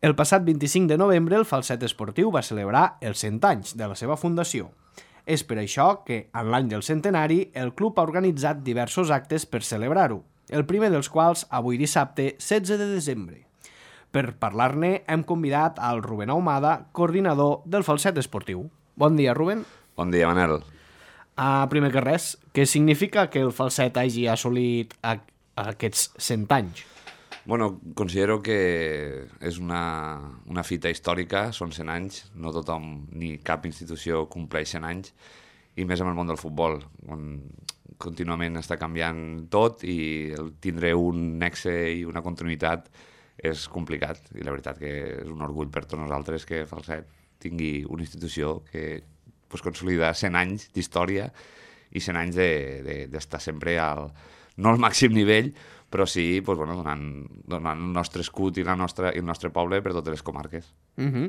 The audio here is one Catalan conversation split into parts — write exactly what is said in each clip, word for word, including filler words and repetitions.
El passat vint-i-cinc de novembre el Falset Esportiu va celebrar els cent anys de la seva fundació. És per això que, en l'any del centenari, el club ha organitzat diversos actes per celebrar-ho, el primer dels quals avui dissabte, setze de desembre. Per parlar-ne hem convidat al Rubén Ahumada, coordinador del Falset Esportiu. Bon dia, Rubén. Bon dia, Manel. Uh, primer que res, què significa que el Falset hagi assolit a, a aquests cent anys? Bueno, considero que és una, una fita històrica, són cent anys, no tothom ni cap institució compleix cent anys, i més en el món del futbol, on contínuament està canviant tot i el tindre un nexe i una continuïtat és complicat, i la veritat que és un orgull per tots nosaltres que Falset tingui una institució que pues, consolida cent anys d'història i cent anys d'estar de, de, sempre al, no al màxim nivell, però sí pues, bueno, donant, donant el nostre escut i, la nostra, i el nostre poble per totes les comarques. Uh -huh.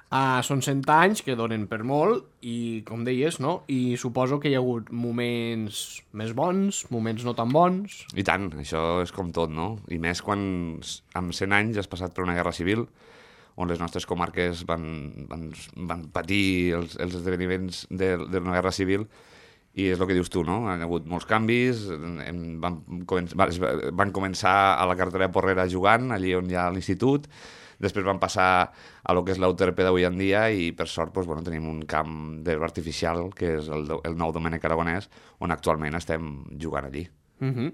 uh, són cent anys que donen per molt i, com deies, no? I suposo que hi ha hagut moments més bons, moments no tan bons. I tant, això és com tot, no? I més quan amb cent anys has passat per una guerra civil on les nostres comarques van, van, van patir els, els esdeveniments d'una guerra civil. I és el que dius tu, no? Han hagut molts canvis, van, començar, van començar a la carretera Porrera jugant, allí on hi ha l'institut, després van passar a lo que és l'Euterpe d'avui en dia i per sort doncs, bueno, tenim un camp d'herba artificial, que és el, el nou Domènec Aragonès, on actualment estem jugant allí. Uh -huh.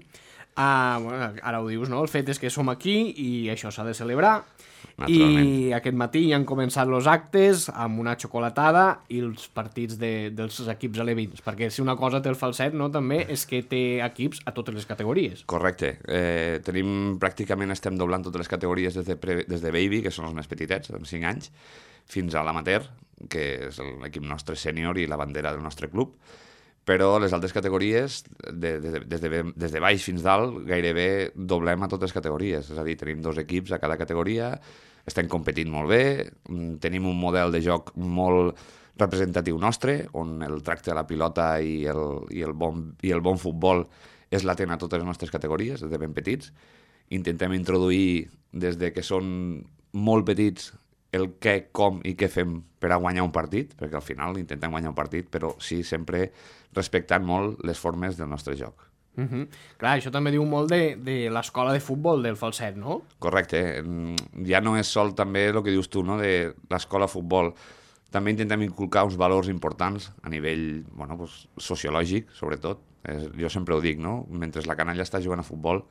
uh, bueno, ara ho dius, no? El fet és que som aquí i això s'ha de celebrar. I aquest matí ja han començat els actes amb una xocolatada i els partits de, dels equips alevins, perquè si una cosa té el Falset, no, també és que té equips a totes les categories. Correcte. Eh, tenim, pràcticament estem doblant totes les categories des de, pre, des de Baby, que són els més petitets, amb cinc anys, fins a l'Amateur, que és l'equip nostre sènior i la bandera del nostre club. Però les altres categories, de, de, des, de, des de baix fins dalt, gairebé doblem a totes les categories. És a dir, tenim dos equips a cada categoria, estem competint molt bé, tenim un model de joc molt representatiu nostre, on el tracte de la pilota i el, i el, bon, i el bon futbol és latent a totes les nostres categories, des de ben petits. Intentem introduir, des de que són molt petits, el què, com i què fem per a guanyar un partit, perquè al final intentem guanyar un partit, però sí sempre respectant molt les formes del nostre joc. Uh -huh. Clar, això també diu molt de, de l'escola de futbol del Falset, no? Correcte. Ja no és sol també el que dius tu, no?, de l'escola de futbol. També intentem inculcar uns valors importants a nivell bueno, pues, sociològic, sobretot. És, jo sempre ho dic, no? Mentre la canalla està jugant a futbol,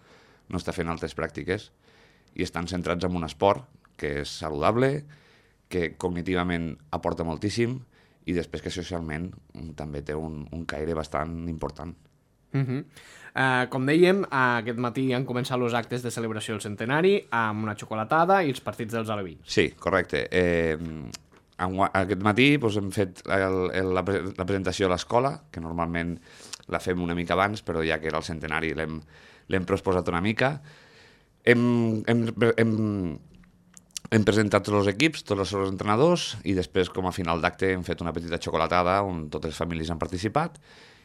no està fent altres pràctiques i estan centrats en un esport que és saludable, que cognitivament aporta moltíssim i després que socialment també té un, un caire bastant important. Uh -huh. uh, com dèiem, uh, aquest matí han començat els actes de celebració del centenari amb una xocolatada i els partits dels alevins. Sí, correcte. Eh, aquest matí doncs, hem fet el, el, la, la presentació a l'escola, que normalment la fem una mica abans, però ja que era el centenari l'hem prosposat una mica. Hem, hem, hem, hem presentat tots els equips, tots els seus entrenadors, i després, com a final d'acte, hem fet una petita xocolatada on totes les famílies han participat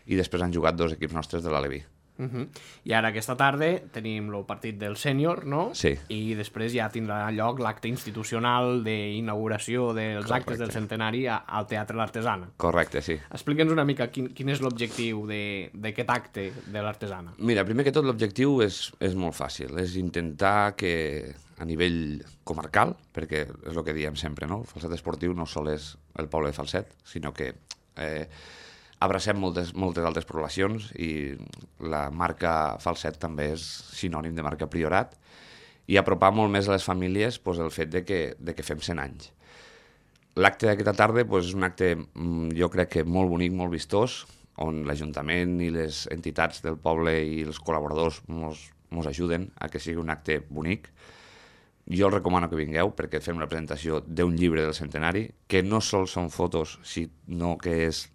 i després han jugat dos equips nostres de l'Aleví. Uh -huh. I ara aquesta tarda tenim el partit del sènior, no? Sí. I després ja tindrà lloc l'acte institucional d'inauguració dels Correcte. Actes del centenari al Teatre l'Artesana. Correcte, sí. Explica'ns una mica quin, quin és l'objectiu d'aquest acte de l'Artesana. Mira, primer que tot l'objectiu és, és molt fàcil, és intentar que a nivell comarcal, perquè és el que diem sempre, no? El Falset Esportiu no sol és el poble de Falset, sinó que eh, abracem moltes, moltes altres poblacions i la marca Falset també és sinònim de marca Priorat i apropar molt més a les famílies pues, el fet de que, de que fem cent anys. L'acte d'aquesta tarda pues, és un acte, jo crec que molt bonic, molt vistós, on l'Ajuntament i les entitats del poble i els col·laboradors mos, mos ajuden a que sigui un acte bonic. Jo els recomano que vingueu perquè fem la presentació d'un llibre del centenari, que no sols són fotos, sinó que és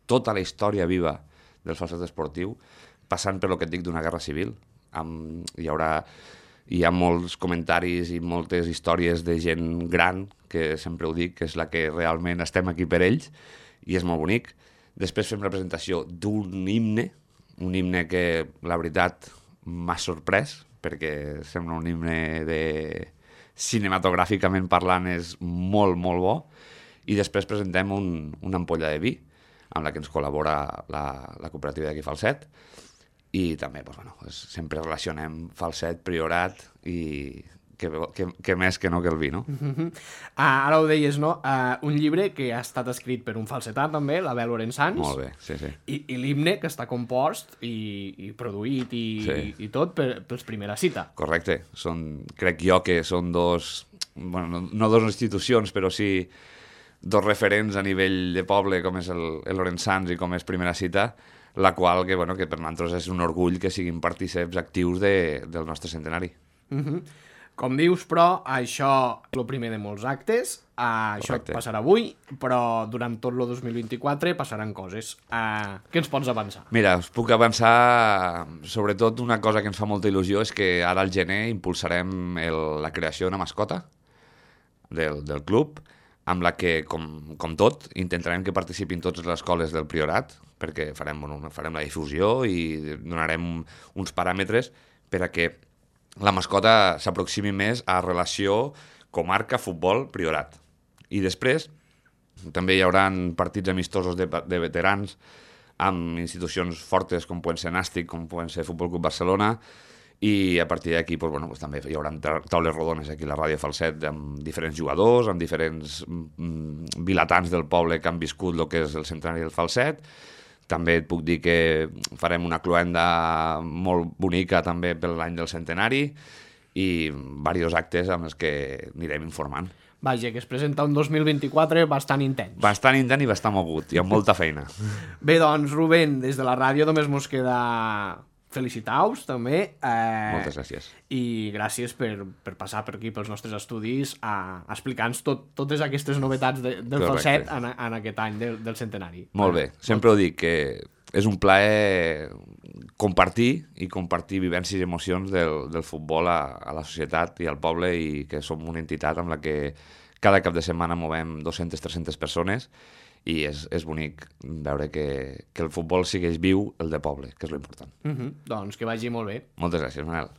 tota la història viva del Falset Esportiu, passant per lo que et dic d'una guerra civil. Amb, hi haurà hi ha molts comentaris i moltes històries de gent gran, que sempre ho dic, que és la que realment estem aquí per ells, i és molt bonic. Després fem la presentació d'un himne, un himne que, la veritat, m'ha sorprès, perquè sembla un himne de cinematogràficament parlant és molt, molt bo, i després presentem un, una ampolla de vi, amb la que ens col·labora la, la cooperativa d'aquí Falset, i també, doncs, bueno, sempre relacionem Falset, Priorat, i que, que, que més que no que el vi, no? Uh-huh. Ah, ara ho deies, no? Uh, un llibre que ha estat escrit per un falsetà, també, l'Abel Lorenzans. Molt bé, sí, sí. I, i l'himne que està compost i, i produït i, sí. i, i tot per, pels Primera Cita. Correcte. Són, crec jo que són dos, bueno, no, no dos institucions, però sí dos referents a nivell de poble, com és el, el Lorenzans i com és Primera Cita, la qual que, bueno, que per nosaltres és un orgull que siguin partíceps actius de, del nostre centenari. Uh-huh. Com dius, però, això és el primer de molts actes, uh, això passarà avui, però durant tot el dos mil vint-i-quatre passaran coses. Uh, què ens pots avançar? Mira, us puc avançar, sobretot una cosa que ens fa molta il·lusió és que ara al gener impulsarem el, la creació d'una mascota del, del club, amb la que, com, com tot, intentarem que participin totes les escoles del Priorat, perquè farem, bueno, farem la difusió i donarem uns paràmetres per a que la mascota s'aproximi més a relació comarca-futbol Priorat. I després també hi haurà partits amistosos de, de veterans amb institucions fortes com poden ser Nàstic, com poden ser Futbol Club Barcelona, i a partir d'aquí doncs, bueno, doncs, també hi haurà taules rodones aquí a la Ràdio Falset amb diferents jugadors, amb diferents mm, vilatans del poble que han viscut el que és el centenari del Falset. També et puc dir que farem una cloenda molt bonica també per l'any del centenari i diversos actes amb els que anirem informant. Vaja, que es presenta un dos mil vint-i-quatre bastant intens. Bastant intens i bastant mogut, i amb molta feina. Bé, doncs, Rubén, des de la ràdio només mos queda felicitar-vos, també. Eh, Moltes gràcies. I gràcies per, per passar per aquí, pels nostres estudis, a, a explicar-nos tot, totes aquestes novetats de, del Falset en, en aquest any del, del centenari. Molt bé, sempre ho dic, que és un plaer compartir i compartir vivències i emocions del, del futbol a, a la societat i al poble, i que som una entitat amb la que cada cap de setmana movem dues-centes a tres-centes persones, i és, és bonic veure que, que el futbol segueix viu, el de poble, que és l'important. Uh-huh. Doncs que vagi molt bé. Moltes gràcies, Manel.